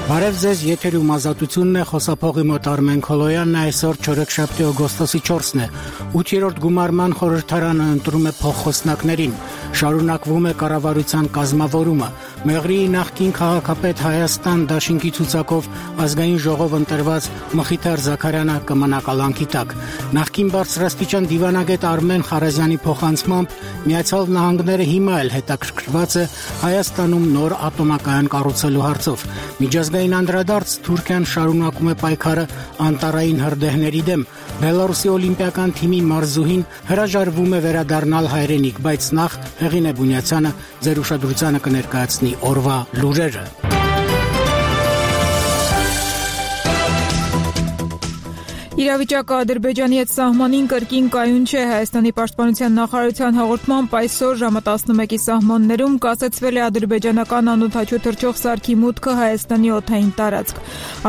Բարև ձեզ, եթերում ազատությունն է, խոսափողի մոտ Արմեն Քոլոյանն է, այսօր չորեքշաբթի օգոստոսի 4-ն է, 8-րդ գումարման խորհրդարանը ընտրում է փոխխոսնակներին, շարունակվում է կառավարության կազմավորումը, Մեղրիի նախկին քաղաքապետ Հայաստան դաշինքի ցուցակով ազգային ժողով ընտրված Մխիթար Զաքարյանը կմնա կալանքի տակ, նախկին բարձրաստիճան դիվանագետ Արմեն Խարազյանի փոխանցմամբ Միացյալ Նահանգները հիմա էլ հետաքրքրված է Հայաստանում նոր ատոմակայան կառուցելու հարցով, Միջազգային անդրադարձ Թուրքիան շարունակում է պայքարը անտառային հրդեհների դեմ, Բելարուսի օլիմպիական թիմի մարզուհին հրաժարվում է վերադառնալ հայրենիք, բայց նախ Հեղինե Բունյացյանը ձեր ուշադրությանը կներկայացնի օրվա լուրերը։ Իրավիճակը Ադրբեջանի հետ սահմանին կրկին կայուն չէ, Հայաստանի պաշտպանության նախարարության հաղորդմամբ այսօր ժամը 11-ի սահմաններում կասեցվել է ադրբեջանական անօդաչու թռչող սարքի մուտքը Հայաստանի օդային տարածք։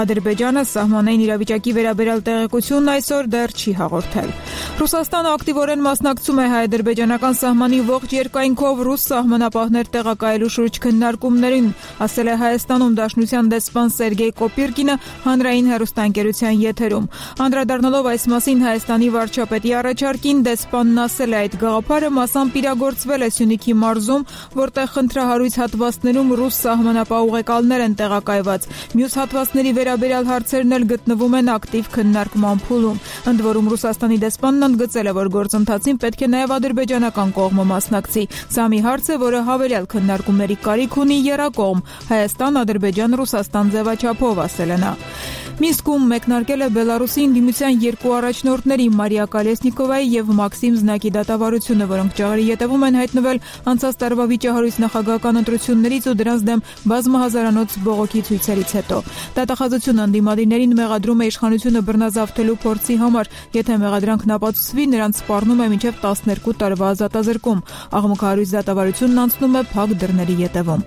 Ադրբեջանը սահմանային իրավիճակի վերաբերյալ տեղեկությունն այսօր դեռ չի հաղորդել։ Ռուսաստանը ակտիվորեն մասնակցում է հայ-ադրբեջանական սահմանի ողջ երկայնքով ռուս սահմանապահներ տեղակայելու շուրջ քննարկումներին, ասել է Հայաստանում Դաշնության դեսպան Սերգեյ Կոպիրկինը հանրային հեռուստաընկերության եթերում։ Անդրադառնալով այս մասին Հայաստանի վարչապետի առաջարկին, դեսպանն ասել է, այդ գաղափարը մասամբ իրագործվել է Սյունիքի մարզում, որտեղ խնդրահարույց հատվածներում ռուս սահմանապահ ուղեկալներ են տեղակայված։ Մյուս հատվածների վերաբերյալ հարցերն էլ գտնվում են ակտիվ քննարկման փուլում։ Ընդ որում Ռուսաստանի դեսպանն ընդգծել է, որ գործընթացին պետք է նաև ադրբեջանական կողմը մասնակցի։ Սա մի հարց է, որը հավելյալ քննարկումների կարիք ունի եռակողմ Հայաստան, Ադրբեջան, Ռուսաստան ձևաչափով, ասել է նա։ Մինսկում մեկնարկել է Բելարուսի ընդդիմության երկու առաջնորդների Մարիա Կալեսնիկովայի եւ Մաքսիմ Զնակի դատավարությունը, որոնք ճաղերի ետևում են հայտնվել անցած տարվա վիճահարույց նախագահական ընտրություններից ու դրանց դեմ բազմահազարանոց բողոքի ցույցերից հետո։ Դատախազությունը ընդդիմադիրներին մեղադրում է իշխանությունը բռնազավթելու փորձի համար, եթե մեղադրանքն ապացուցվի, նրանց սպառնում է մինչև 12 տարվա ազատազրկում։ Աղմուկահարույց դատավարությունն անցնում է փակ դռների ետևում։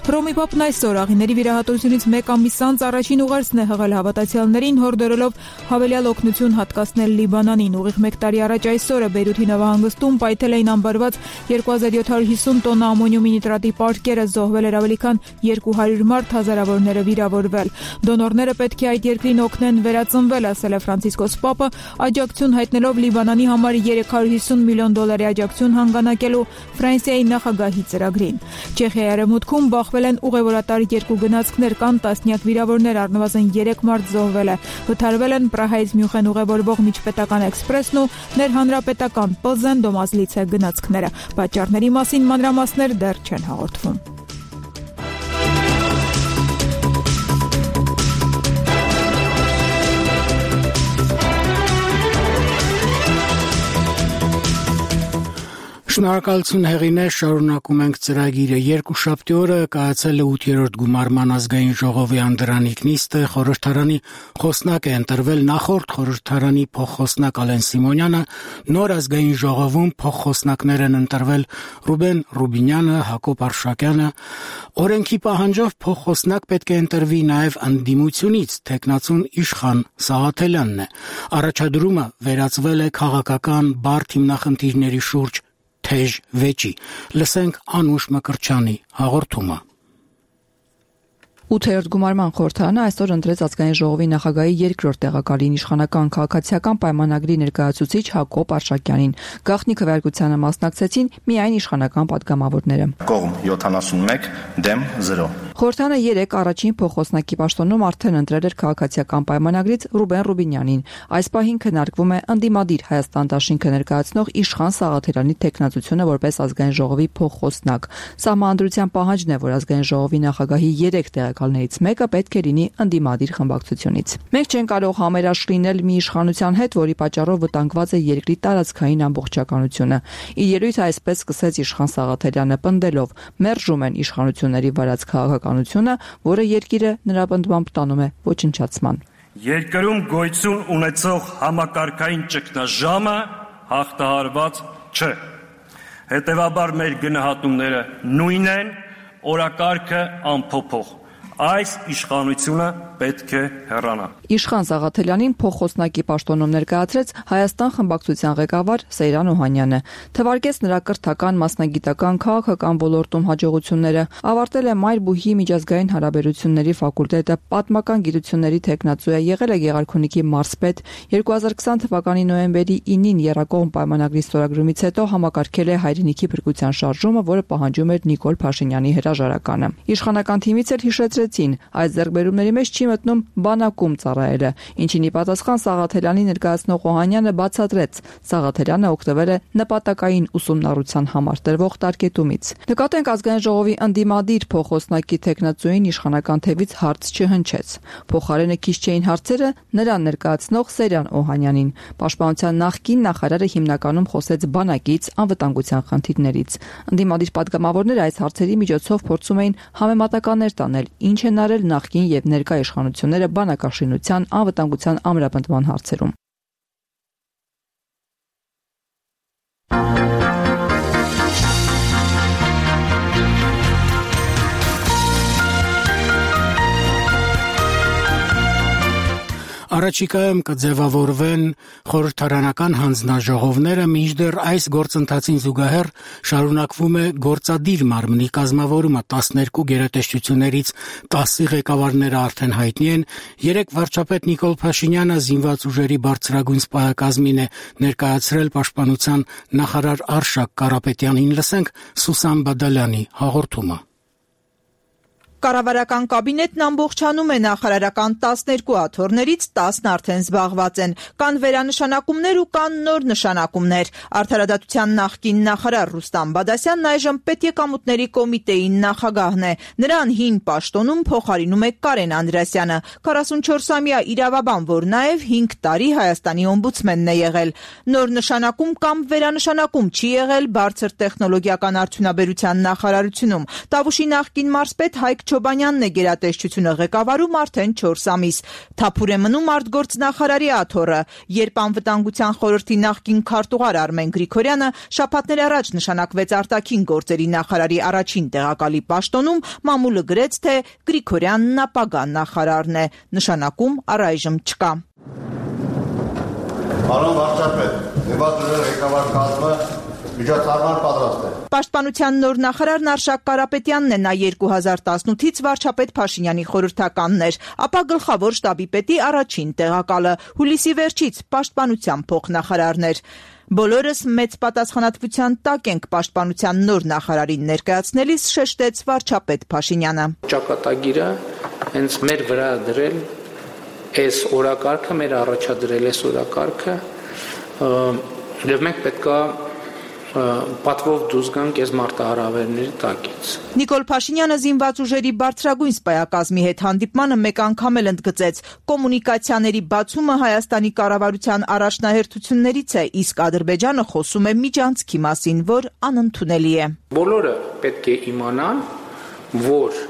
Հռոմի Պապն այսօր աղիների վիրահատությունից մեկ ամիս անց առաջին ուղերձն է հղել հավատացյալներին, հորդորելով հավելյալ օգնություն հատկացնել Լիբանանին։ Ուղիղ մեկ տարի առաջ այսօրը Բեյրութի նավահանգստում պայթել էին ամբարված 2750 տոննա ամոնիումի նիտրատի պարկերը, զոհվել էր ավելի քան 200 մարդ, հազարավորները վիրավորվել։ Դոնորները պետք է այդ երկրին օգնեն վերածնվել, ասել է Ֆրանցիսկոս Պապը, աջակցություն հայտնելով Լիբանանի համար 350 միլիոն դոլարի աջակցություն հանգանակելու Ֆրանսիայի նախագահի ծրագրին։ Չեխիայի արևմուտքում բախվել են ուղևորատար երկու գնացքներ, կան տասնյակ վիրավորներ, առնվազն 3 մարդ զոհվել է։ Վթարվել են Պրահայից Մյունխեն ուղևորվող միջպետական էքսպրեսն ու ներհանրապետական Պլզեն Դոմազլիցե գնացքները։ Պատճառների մասին մանրամասներ դեռ չեն հաղորդվում։ Շնորհակալություն Հեղինե, շարունակում ենք ծրագիրը։ Երկուշաբթի օրը կայացել է 8-րդ գումարման ազգային ժողովի անդրանիկ նիստը, խորհրդարանի խոսնակ է ընտրվել նախորդ խորհրդարանի փոխխոսնակ Ալեն Սիմոնյանը, նոր ազգային ժողովում փոխխոսնակներ են ընտրվել Ռուբեն Ռուբինյանը, Հակոբ Արշակյանը, օրենքի պահանջով փոխխոսնակ պետք է ընտրվի նաև ընդդիմությունից, թեկնածուն Իշխան Սաղաթելյանն է։ Առաջադրումը վերածվել է քաղաքական բարդ հիմնախնդիրների շուրջ թեժ վեճի։ Լսենք Անուշ Մկրտչյանի հաղորդումը։ 8-րդ գումարման խորհրդարանը այսօր ընտրեց ազգային ժողովի նախագահի երկրորդ տեղակալին իշխանական քաղաքացիական պայմանագրի ներկայացուցիչ Հակոբ Արշակյանին։ Գաղտնի քվեարկությանը մասնակցեցին միայն իշխանական պատգամավորները։ Կողմ 71, դեմ 0։ Խորհրդարանը 3 առաջին փոխխոսնակի պաշտոնում արդեն ընտրել էր քաղաքացիական պայմանագրից Ռուբեն Ռուբինյանին։ Այս պահին քննարկվում է ընդդիմադիր Հայաստան դաշինքը ներկայացնող Իշխան Սաղաթելյանի թեկնածությունը որպես ազգային ժողովի փոխխոսնակ։ Սահմանադրության պահանջն է, որ ազգային ժողովի նախագահի 3 տեղակալներից մեկը պետք է լինի ընդդիմադիր խմբակցությունից։ Մենք չենք կարող համերաշխ լինել մի իշխանության հետ, որի պատճառով վտանգված է երկրի տարածքային ամբողջականությունը։ Իր ելույթը այսպես սկսեց Իշխան Սաղաթելյանը, պնդելով. մերժում են իշխանությունների վարած քաղաքականությունը, որը երկիրը նրա պնդմամբ տանում է ոչնչացման։ Երկրում գոյություն ունեցող համակարգային ճգնաժամը հաղթահարված չէ։ Հետևաբար մեր գնահատումները նույնն են, օրակարգը անփոփոխ։ այս իշխանությունը պետք է հեռանա։ Իշխան Սաղաթելյանին փոխխոսնակի պաշտոնում ներկայացրեց Հայաստան խմբակցության ղեկավար Սեյրան Օհանյանը։ Թվարկեց նրա կրթական, մասնագիտական, քաղաքական ոլորտում հաջողությունները, ավարտել է Մայր-Բուհի միջազգային հարաբերությունների ֆակուլտետը, պատմական գիտությունների թեկնածու է, եղել է Գեղարքունիքի մարզպետ, 2020 թվականի նոյեմբերի 9-ին Եռակողմ պայմանագրի ստորագրումից հետո համակարգել է հայրենիքի փրկության շարժումը, որը պահանջում էր Նիկոլ Փաշինյանի հրաժարականը։ Իշխանական թիմից էլ հիշեցրեցին, այս ձեռքբերումների մեջ չի մտնում բանակում ծառայելը, ինչին ի պատասխան Սաղաթելյանի ներկայացնող Օհանյանը բացատրեց, Սաղաթելյանը օգտվել է նպատակային ուսումնառության համար տրվող տարկետումից։ Նկատենք ազգային ժողովի ընդդիմադիր փոխոսնակի թեկնածուին իշխանական թևից հարց չհնչեց։ Փոխարենը քիչ չէին հարցերը նրան ներկայացնող Սեյրան Օհանյանին։ Պաշտպանության նախկին նախարարը հիմնականում խոսեց բանակից, անվտանգության խնդիրներից։ Ընդդիմադիր պատգամավորները այս հարցերի միջոցով փորձում էին համեմատականներ տանել, ինչ են արել նախկին եւ ներկա իշխանությունները բանակաշինության, անվտանգության ամրապնդման հարցերում։ Առաջիկայում կձևավորվեն խորհրդարանական հանձնաժողովները, մինչդեռ այս գործընթացին զուգահեռ շարունակվում է գործադիր մարմնի կազմավորումը, 12 գերատեսչություններից 10-ի ղեկավարները արդեն հայտնի են, 3 վարչապետ Նիկոլ Փաշինյանը զինված ուժերի բարձրագույն սպայակազմին է ներկայացրել պաշտպանության նախարար Արշակ Կարապետյանին, լսենք Սուսան Բադալյանի հաղորդումը։ Կառավարական կաբինետն ամբողջանում է նախարարական 12 աթոռներից 10-ն արդեն զբաղված են։ Կան վերանշանակումներ ու կան նոր նշանակումներ։ Արդարադատության նախկին նախարար Ռուստամ Բադասյանն այժմ պետեկամուտների կոմիտեի նախագահն է։ Նրան հին պաշտոնում փոխարինում է Կարեն Անդրեասյանը, 44-ամյա իրավաբան, որ նաև 5 տարի Հայաստանի օմբուդսմենն է եղել։ Նոր նշանակում կամ վերանշանակում չի եղել բարձր տեխնոլոգիական արդյունաբերության նախարարությունում։ Տավուշի նախկին մարզպետ Հայկ Չոբանյանն է գերատեսչությունը ղեկավարում արդեն 4 ամիս։ Թափուր է մնում արտգործնախարարի աթոռը, երբ անվտանգության խորհրդի նախկին քարտուղար Արմեն Գրիգորյանը շաբաթներ առաջ նշանակվեց արտաքին գործերի նախարարի առաջին տեղակալի պաշտոնում, մամուլը գրեց, թե Գրիգորյանն ապագա նախարարն է։ Նշանակում առայժմ չկա։ Պարոն վարչապետ, դեպատուրը ղեկավար կազմը միջոցառման պատրաստ է։ Պաշտպանության նոր նախարարն Արշակ Կարապետյանն է, նա 2018-ից վարչապետ Փաշինյանի խորհրդականն էր, ապա գլխավոր շտաբի պետի առաջին տեղակալը, հուլիսի վերջից պաշտպանության փոխնախարարն էր։ Բոլորս մեծ պատասխանատվության տակ ենք պաշտպանության նոր նախարարին ներկայացնելիս, շեշտեց վարչապետ Փաշինյանը։ Ճակատագիրը հենց մեր վրա դրել այս օրակարգը, մեր առաջադրել այս օրակարգը, եւ մենք պետք է պատվով դուրս գանք այս մարտահրավերների տակից։ Նիկոլ Փաշինյանը զինված ուժերի բարձրագույն սպայակազմի հետ հանդիպմանը մեկ անգամ էլ ընդգծեց. կոմունիկացիաների բացումը Հայաստանի կառավարության առաջնահերթություններից է, իսկ Ադրբեջանը խոսում է միջանցքի մասին, որ անընդունելի է։ Բոլորը պետք է իմանան, որ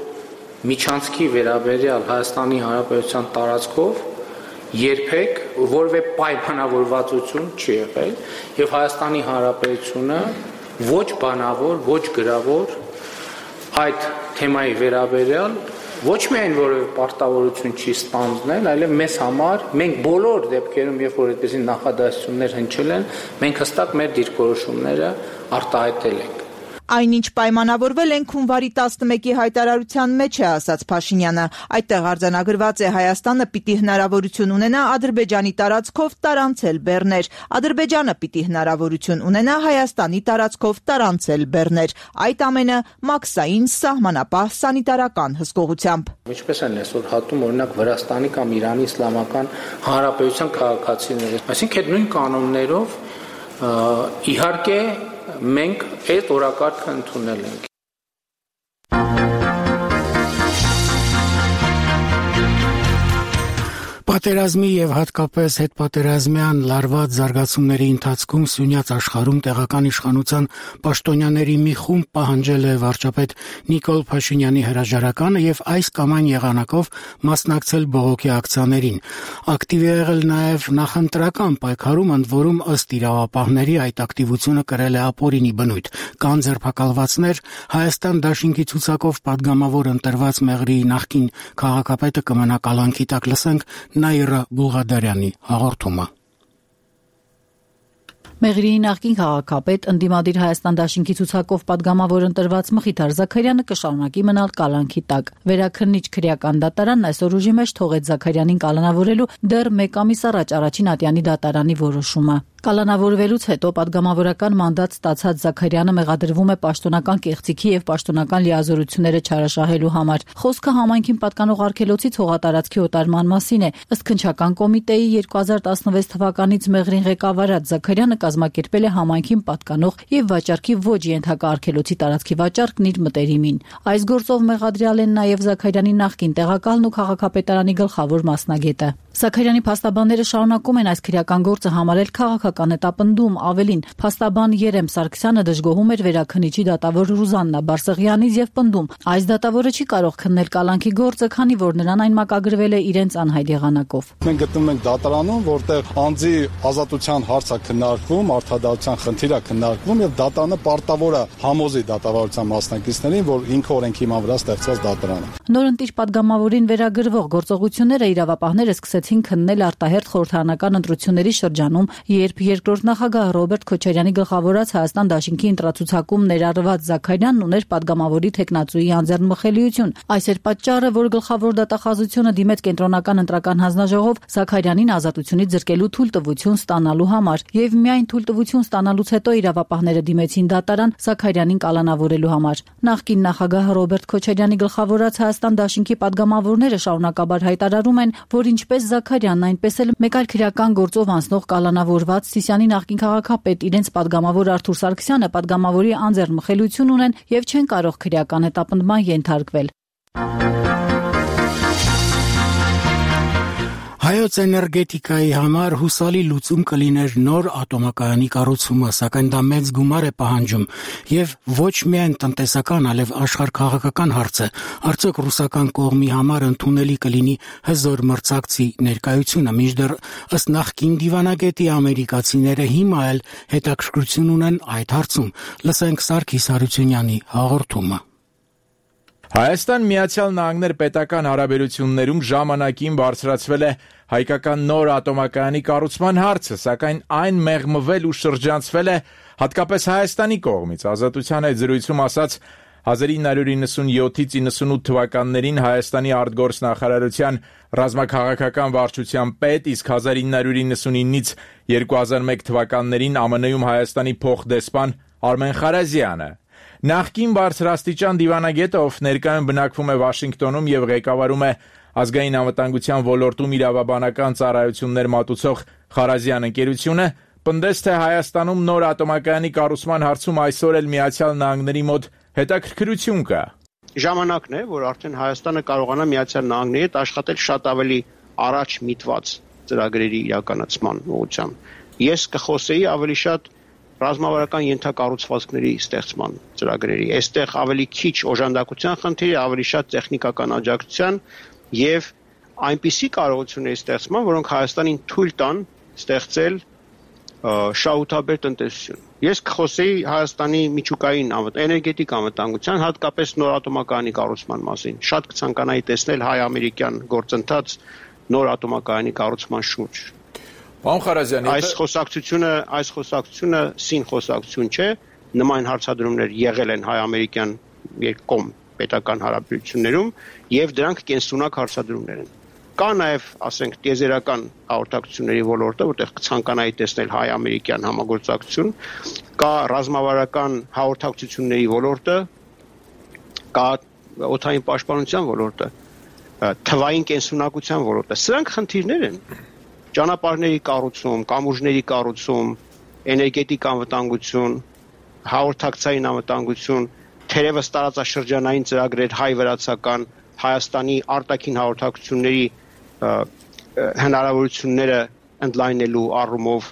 միջանցքի վերաբերյալ Հայաստանի Հանրապետության տարածքով երբեք որևէ պայմանավորվածություն չի եղել եւ Հայաստանի Հանրապետությունը ոչ բանավոր, ոչ գրավոր այդ թեմայի վերաբերյալ ոչ միայն որևէ պարտավորություն չի ստանձնել, այլև մեզ համար մենք բոլոր դեպքերում, երբ որ այդպիսի նախադասություններ հնչել են, մենք հստակ մեր դիրքորոշումները արտահայտել ենք։ Այնինչ պայմանավորվել են հունվարի 11-ի հայտարարության մեջ է, ասաց Փաշինյանը։ Այդտեղ արձանագրված է Հայաստանը պիտի հնարավորություն ունենա Ադրբեջանի տարածքով տարանցել բեռներ, Ադրբեջանը պիտի հնարավորություն ունենա Հայաստանի տարածքով տարանցել բեռներ, այդ ամենը մաքսային սահմանապահ սանիտարական հսկողությամբ։ Ինչպես են այսօր հատում օրինակ Վրաստանի կամ Իրանի Իսլամական Հանրապետության քաղաքացիները, այսինքն այդ նույն կանոններով իհարկե մենք այդ օրակարգը ընդունել ենք։ Պատերազմի եւ հատկապես հետպատերազմյան լարված զարգացումների ընթացքում Սյունյաց աշխարհում տեղական իշխանության պաշտոնյաների մի խումբ պահանջել է վարչապետ Նիկոլ Փաշինյանի հրաժարականը եւ այս կամ այն եղանակով մասնակցել բողոքի ակցիաներին։ Ակտիվ է եղել նաեւ նախընտրական պայքարում, ընդ որում ըստ իրավապահների այդ ակտիվությունը կրել է ապօրինի բնույթ։ Կան ձերբակալվածներ, Հայաստան դաշինքի ցուցակով падգամավոր ընտրված Մեղրիի նախկին քաղաքապետը կմնա կալանքի տակ։ Լսենք Նաիրա Բուլղադարյանի հաղորդումը։ Մեղրիի նախկին քաղաքապետ ընդդիմադիր Հայաստան դաշինքի ցուցակով падգամավոր ընտրված Մխիթար Զաքարյանը կշարունակի մնալ կալանքի տակ։ Վերաքննիչ քրեական դատարանն այսօր ուժի մեջ թողեց Զաքարյանին կալանավորելու դեռ 1 ամիս առաջ Առաջին Ատյանի դատարանի որոշումը։ Կալանավորվելուց հետո падգամավորական մանդատ ստացած Զաքարյանը մեղադրվում է պաշտոնական կեղծիքի եւ պաշտոնական լիազորությունները չարաշահելու համար։ Խոսքը համայնքին պատկանող արգելոցից հողատարածքի օտարման մասին է։ Ըստ քննչական կոմիտեի 2016 թվականից Մեղրին ղեկավարած Զաքարյանը կազմակերպել է համայնքին պատկանող եւ վաճառքի ոչ ենթակա արգելոցի տարածքի վաճառքն իր մտերիմին։ Այս գործով մեղադրյալ են նաեւ Զաքարյանի նախկին տեղակալն ու քաղաքապետարանի գլխավոր մասնագետը։ Զաքարյանի փաստաբանները շարունակում են այս քրեական գործը համարել քաղաքական հետապնդում, ավելին փաստաբան Երեմ Սարգսյանը դժգոհում էր վերաքննիչի դատավոր Ռուզաննա Բարսեղյանից եւ պնդում, այս դատավորը չի կարող քննել կալանքի գործը, քանի որ նրան այն մակագրվել է իրենց անհայտ եղանակով։ Մենք գտնվում ենք դատարանում, որտեղ անձի ազատության հարց է քննարկվում, արդարադատության խնդիր է քննարկվում եւ դատարանը պարտավոր է համոզի դատավարության մասնակիցներին, որ ինքը օրենքի հիման վրա ստեղծված դատարան է։ Նորընտիր падգամավորին վերագրվող գործողությունները իրավապահները սկսեցին քննել արտահերթ խորհրդարանական ընտրությունների շրջանում, երբ երկրորդ նախագահ Ռոբերտ Քոչարյանի գլխավորած Հայաստան դաշինքի ընտրացուցակում ներառված Զաքարյանն ուներ падգամավորի թեկնածուի անձեռնմխելիություն։ Այս էր պատճառը, որ գլխավոր դատախազությունը դիմեց կենտրոնական ընտրական հանձնաժողով Զաքարյանին ազատությունից զրկելու թույլտվություն ստանալու համար, եւ միայն թույլտվություն ստանալուց հետո իրավապահները դիմեցին դատարան Զաքարյանին կալանավորելու համար։ Նախկին նախագահ Ռոբերտ Քոչարյանի գլխավորած Հայաստան դաշինքի падգամավորները շարունակաբար հայտարարում են, որ ինչպես Զաքարյանն, այնպես էլ մեկ այլ քրեական գործով անցնող կալանավորված Սիսիանի նախկին քաղաքապետ իրենց падգամավոր Արթուր Սարգսյանը падգամավորի անձեռնմխելիություն ունեն եւ չեն կարող քրեական հետապնդման ենթարկվել։ Հայոց էներգետիկայի համար հուսալի լուծում կլիներ նոր ատոմակայանի կառուցումը, սակայն դա մեծ գումար է պահանջում եւ ոչ միայն տնտեսական, այլև աշխարհքաղաքական հարց է։ Արդյոք ռուսական կողմի համար ընդունելի կլինի հզոր մրցակցի ներկայությունը, մինչդեռ ըստ նախկին դիվանագետի ամերիկացիները հիմա էլ հետաքրքրություն ունեն այդ հարցում։ Լսենք Սարգիս Հարությունյանի հաղորդումը։ Հայաստան-Միացյալ Նահանգներ պետական հարաբերություններում ժամանակին բարձրացվել է հայկական նոր ատոմակայանի կառուցման հարցը, սակայն այն մեղմվել ու շրջանցվել է հատկապես Հայաստանի կողմից։ Ազատության հետ զրույցում ասաց 1997-ից 98 թվականներին Հայաստանի արտգործնախարարության ռազմաքաղաքական վարչության պետ, իսկ 1999-ից 2001 թվականներին ԱՄՆ-ում Հայաստանի փոխդեսպան Արմեն Խարազյանը։ Նախկին բարձրաստիճան դիվանագետը, ով ներկայում բնակվում է Վաշինգտոնում եւ ղեկավարում է ազգային անվտանգության ոլորտում իրավաբանական ծառայություններ մատուցող Խարազյան ընկերությունը, պնդեց, թե Հայաստանում նոր ատոմակայանի կառուցման հարցում այսօր էլ Միացյալ Նահանգների մոտ հետաքրքրություն կա։ Ժամանակն է, որ արդեն Հայաստանը կարողանա Միացյալ Նահանգների հետ աշխատել շատ ավելի առաջ միտված ծրագրերի իրականացման ուղղությամբ։ Ես կխոսեի ավելի շատ ռազմավարական ենթակառուցվածքների ստեղծման ծրագրերի։ Այստեղ ավելի քիչ օժանդակության խնդիրը, ավելի շատ տեխնիկական աջակցության եւ այնպիսի կարողությունների ստեղծման, որոնք Հայաստանին թույլ տան ստեղծել շահութաբեր տնտեսություն։ Ես կխոսեի Հայաստանի միջուկային էներգետիկ անվտանգության, հատկապես նոր ատոմակայանի կառուցման մասին։ Շատ կցանկանայի տեսնել հայ-ամերիկյան գործընթաց նոր ատոմակայանի կառուցման շուրջ։ Պարոն Խարազյան, այս խոսակցությունը սին խոսակցություն չէ, նման հարցադրումներ եղել են հայ-ամերիկյան երկկողմ պետական հարաբերություններում եւ դրանք կենսունակ հարցադրումներ են։ Կա նաեւ, ասենք, տիեզերական հաղորդակցությունների ոլորտը, որտեղ կցանկանայի տեսնել հայ-ամերիկյան համագործակցություն, կա ռազմավարական հաղորդակցությունների ոլորտը, կա օդային պաշտպանության ոլորտը, թվային կենսունակության ոլորտը։ Սրանք խնդիրներ են։ Ճանապարհների կառուցում, կամուրջների կառուցում, էներգետիկ անվտանգություն, հաղորդակցային անվտանգություն, թերևս տարածաշրջանային ծրագրեր հայ-վրացական, Հայաստանի արտաքին հաղորդակցությունների հնարավորությունները ընդլայնելու առումով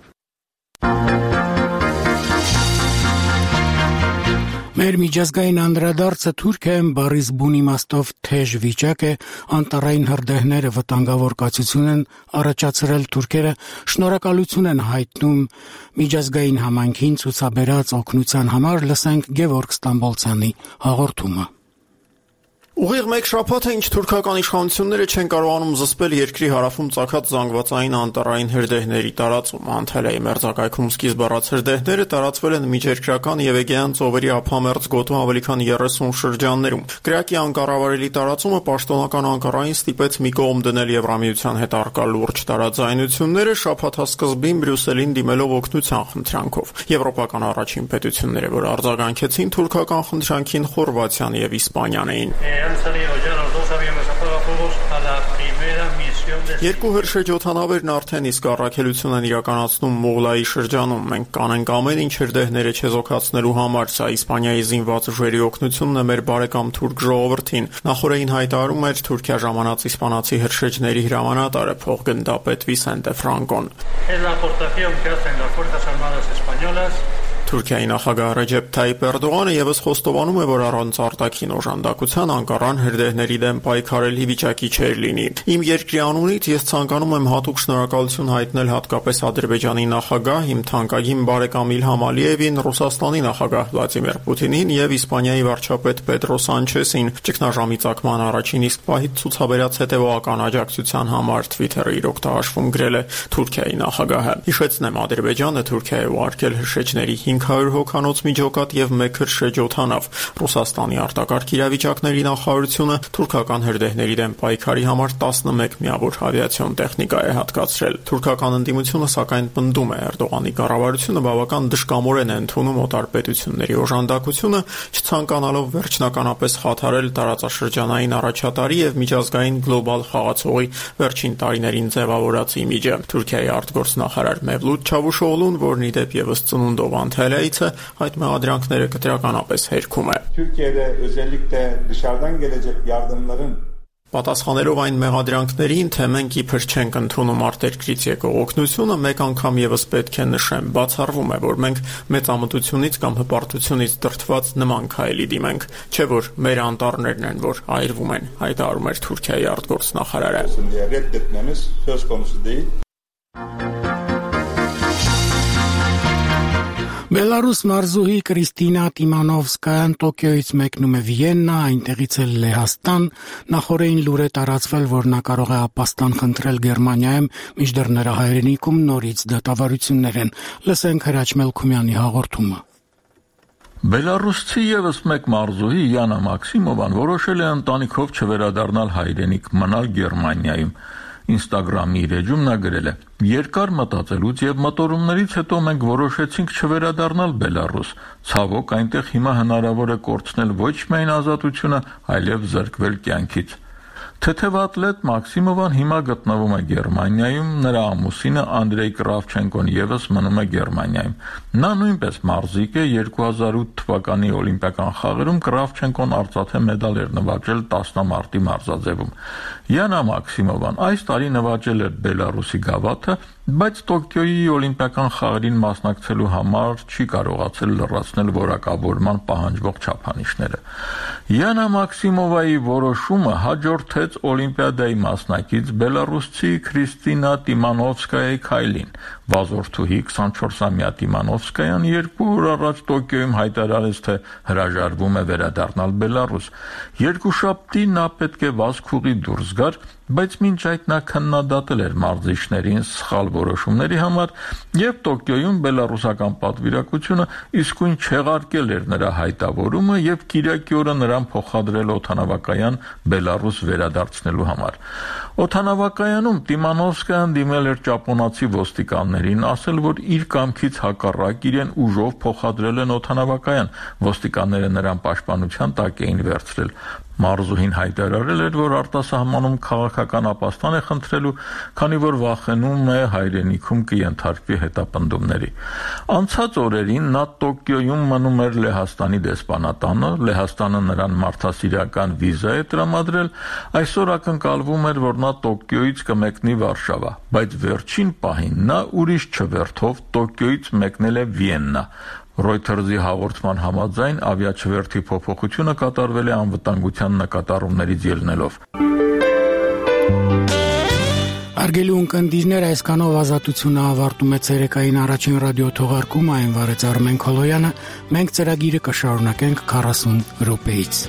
Մեր միջազգային անդրադարձը Թուրքիայում բառից բուն իմաստով թեժ վիճակ է, անտառային հրդեհները վտանգավոր կացություն են առաջացրել թուրքերը, շնորհակալություն են հայտնում միջազգային համայնքին ցուցաբերած օգնության համար, լսենք Գևորգ Ստամբոլցյանի հաղորդումը։ Ուղիղ մեկ շաբաթ է, ինչ թուրքական իշխանությունները չեն կարողանում զսպել երկրի հարավում ծագած զանգվածային անտառային հրդեհների տարածումը։ Անտալիայի մերձակայքում սկիզբ առած հրդեհները տարածվել են միջերկրական եւ Էգեյան ծովերի ափամերձ գոտու ավելի քան 30 շրջաններում։ Կրակի անկառավարելի տարածումը պաշտոնական Անկարային ստիպեց մի կողմ դնել Եվրամիության հետ առկա լուրջ տարաձայնությունները, շաբաթասկզբին Բրյուսելին դիմելով օգնության խնդրանքով։ Եվրոպական առաջին պետությունները, որ արձագանքեցին թուրքական խնդրանքին, Խորվաթիան եւ Իսպանիան էին։ Երկու հրշեջօդանավերն արդեն իսկ առաքելություն են իրականացնում Մուղլայի շրջանում։ Մենք կանենք ամեն ինչ հրդեհները չեզոքացնելու համար։ Սա Իսպանիայի զինված ուժերի օգնությունն է մեր բարեկամ թուրք ժողովրդին։ Նախորդին հայտարարում էր Թուրքիա ժամանած իսպանացի հրշեջների հրամանատարը փոխգնդապետ Վիսենտե Ֆրանկոն։ Թուրքիայի նախագահ Ռեջեփ Թայիփ Էրդողանը եւս խոստովանում է, որ առանց արտաքին օժանդակության Անկարան հրդեհների դեմ պայքարելի վիճակի չէր լինի։ Իմ երկրի անունից ես ցանկանում եմ հատուկ շնորհակալություն հայտնել հատկապես Ադրբեջանի նախագահ, իմ թանկագին բարեկամ Իլհամ Ալիևին, Ռուսաստանի նախագահ Վլադիմիր Պուտինին եւ Իսպանիայի վարչապետ Պեդրո Սանչեսին ճգնաժամի ծագման առաջին իսկ պահից ցուցաբերած հետեւողական աջակցության համար Twitter-ը իր օգտահաշվում գրել է Թուրքիայի նախագահը։ Հիշեցնեմ, Ադրբեջանը Թուրքիայի ուղարկել հրշեջների 500 հոգանոց միջոկատ եւ 1 հրշեջօդանավ։ Ռուսաստանի արտակարգ իրավիճակների նախարարությունը թուրքական հրդեհների դեմ պայքարի համար 11 միավոր ավիացիոն տեխնիկա է հատկացրել։ Թուրքական ընդդիմությունը սակայն պնդում է Էրդողանի կառավարությունը բավական դժկամորեն է ընդունում օտարպետությունների օժանդակությունը, չցանկանալով վերջնականապես խաթարել տարածաշրջանային առաջատարի եւ միջազգային գլոբալ խաղացողի վերջին տարիներին ձևավորած իմիջը։ Թուրքիայի արտգործնախարար Մևլութ Չավուշօղլուն, որն ի դեպ եւս ծնունդով Antalya'yı այդ մեղադրանքները կտրականապես հերքում է։ Türkiye'de özellikle dışarıdan gelecek yardımların Պատասխանելով այն մեղադրանքներին, թե մենք իբր չենք ընդունում արտերկրից եկող օգնությունը, մեկ անգամ եւս պետք է նշեմ, բացառվում է, որ մենք մեծամտությունից կամ հպարտությունից դրդված նման քայլի դիմենք, չէ որ մեր անտառներն են, որ այրվում են, հայտարարում էր Թուրքիայի արտգործնախարարը։ Reddetmemiz söz konusu değil. Բելարուս մարզուհի Կրիստինա Տիմանովսկայան Տոկիոյից մեկնում է Վիեննա, այնտեղից էլ Լեհաստան, նախորդին լուր է տարածվել, որ նա կարող է ապաստան խնդրել Գերմանիայում, մինչդեռ նրա հայրենիքում նորից դատավարություններ են։ Լսենք Հրաչ Մելքումյանի հաղորդումը։ Բելարուսցի եւս մեկ մարզուհի Յանա Մաքսիմովան որոշել է ընտանիքով չվերադառնալ հայրենիք, մնալ Գերմանիայում։ Instagram-ի իր էջում նա գրել է. Երկար մտածելուց եւ մտորումներից հետո մենք որոշեցինք չվերադառնալ Բելարուս։ Ցավոք, այնտեղ հիմա հնարավոր է կորցնել ոչ միայն ազատությունը, այլև զրկվել կյանքից։ Թեթև ատլետ Մաքսիմովան հիմա գտնվում է Գերմանիայում, նրա ամուսինը Անդրեյ Կրավչենկոն եւս մնում է Գերմանիայում։ Նա նույնպես մարզիկ է, 2008 թվականի օլիմպիական խաղերում Կրավչենկոն արծաթե մեդալ էր նվաճել տասնամարտի մարզաձևում։ Յանա Մաքսիմովան այս տարի նվաճել էր Բելարուսի գավաթը, բայց Տոկիոյի օլիմպիական խաղերին մասնակցելու համար չի կարողացել լրացնել որակավորման պահանջվող չափանիշները։ Յանա Մաքսիմովայի որոշումը հաջորդեց օլիմպիադայի մասնակից բելարուսցի Կրիստինա Տիմանովսկայայի քայլին։ Վազորդուհի 24-ամյա Տիմանովսկայան 2 օր առաջ Տոկիոյում հայտարարեց, թե հրաժարվում է վերադառնալ Բելարուս։ Երկուշաբթի նա պետք է վազքուղի դուրս գար, բայց մինչ այդ նա քննադատել էր մարզիչներին սխալ որոշումների համար եւ Տոկիոյում բելարուսական պատվիրակությունը իսկույն չեղարկել էր նրա հայտավորումը եւ կիրակի օրը նրան փոխադրել օդանավակայան Բելարուս վերադարձնելու համար։ Օդանավակայանում Տիմանովսկայան դիմել էր ճապոնացի ոստիկաններին, ասել, որ իր կամքից հակառակ իրեն ուժով փոխադրել են օդանավակայան։ Ոստիկանները նրան պաշտպանության տակ էին վերցրել։ Մարզուհին հայտարարել էր, որ արտասահմանում քաղաքական ապաստան է խնդրելու, քանի որ վախենում է հայրենիքում կենթարկվի հետապնդումների։ Անցած օրերին նա Տոկիոյում մնում էր Լեհաստանի դեսպանատանը, Լեհաստանը նրան մարդասիրական վիզա է տրամադրել, այսօր ակնկալվում էր, որ նա Տոկիոյից կմեկնի Վարշավա, բայց վերջին պահին նա ուրիշ չվերթով Տոկիոյից մեկնել է Վիեննա։ Reuters-ի հաղորդման համաձայն ավիաչվերթի փոփոխությունը կատարվել է անվտանգության նկատառումներից ելնելով։ Արգելի ունկնդիրներ, այսքանով ազատությունը ավարտում է ցերեկային առաջին ռադիո թողարկումը, այն վարեց Արմեն Քոլոյանը, մենք ծրագիրը կշարունակենք 40 րոպեից։